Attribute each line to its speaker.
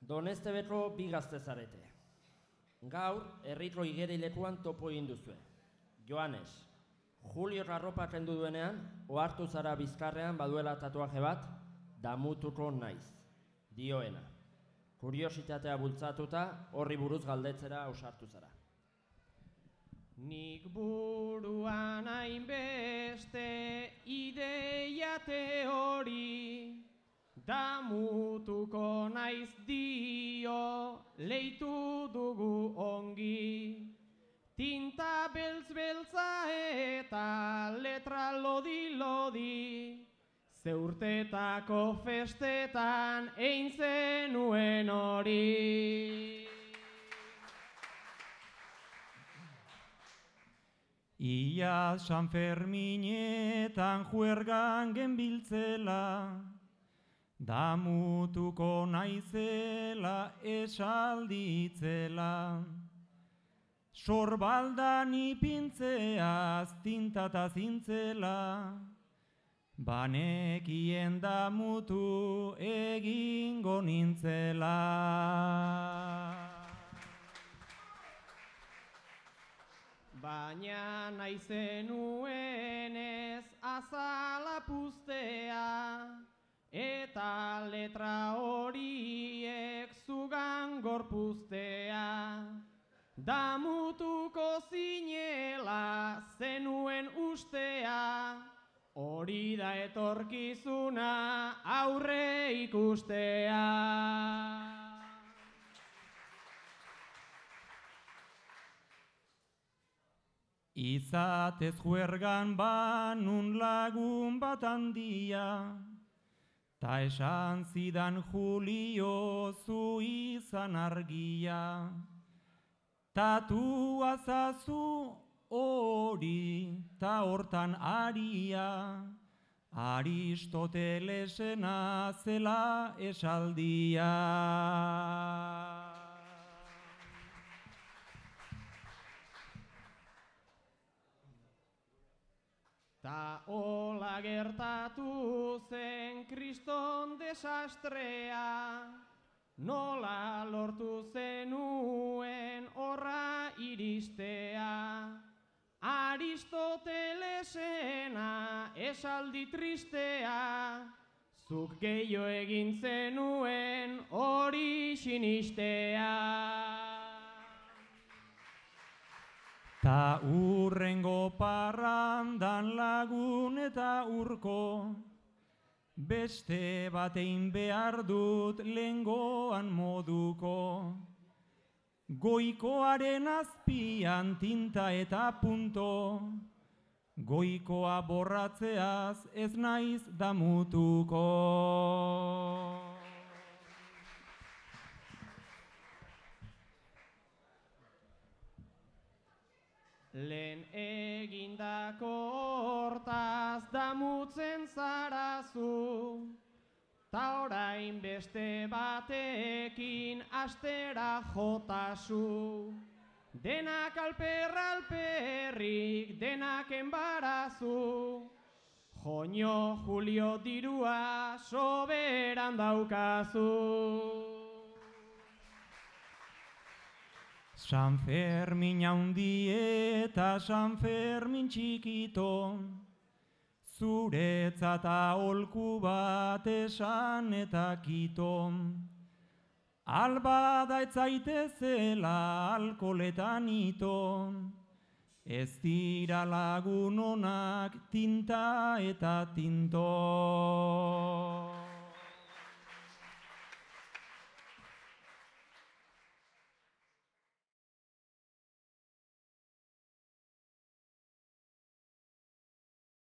Speaker 1: Doneste betro bi gazte zarete. Gaur, erritro igerilekuan topo egin duzue. Joanes, Julio arropa kendu duenean, ohartu zara bizkarrean baduela tatuaje bat, damutuko naiz, dioena. Kuriositatea bultzatuta, horri buruz galdetzera ausartu zara.
Speaker 2: Nik buruan hainbeste ideia teori, damutuko naiz dio, leitu dugu ongi. Tinta beltz-beltza eta letra lodi-lodi, zeurtetako festetan egin zenuen hori.
Speaker 3: Ia San Ferminetan juergan genbiltzela, damutuko naizela esalditzela. Sorbaldan ipintzeaz tintata zintzela, banekien damutu egingo nintzela.
Speaker 2: Baina nahi zenuenez azala puztea, eta letra horiek zugan gorpuztea. Damutuko zinela zenuen ustea, hori da etorkizuna aurre ikustea.
Speaker 3: Izatez juergan banun lagun bat handia, ta esan zidan Julio zu izan argia. Tatua zazu hori, ta hortan aria, Aristotelesena zela esaldia.
Speaker 2: Ta hola gertatu zen kriston desastrea, nola lortu zenuen horra iristea. Aristotelesena esaldi tristea, zuk gehiago egin zenuen hori sinistea.
Speaker 3: Ta urrengo parrandan lagun eta urko, beste batein behar dut lehengoan moduko. Goikoaren azpian tinta eta punto, goikoa borratzeaz ez naiz damutuko.
Speaker 2: Lehen egindako hortaz damutzen zarazu, ta orain beste batekin astera jotazu. Denak alperrik, denak enbarazu, joño Julio dirua soberan daukazu.
Speaker 3: San Fermin haundi eta San Fermin txikito, zuretzat aholku bat esan eta kito. Albada etzaitezela alkoletan ito, ez dira lagun onak tinta eta tinto.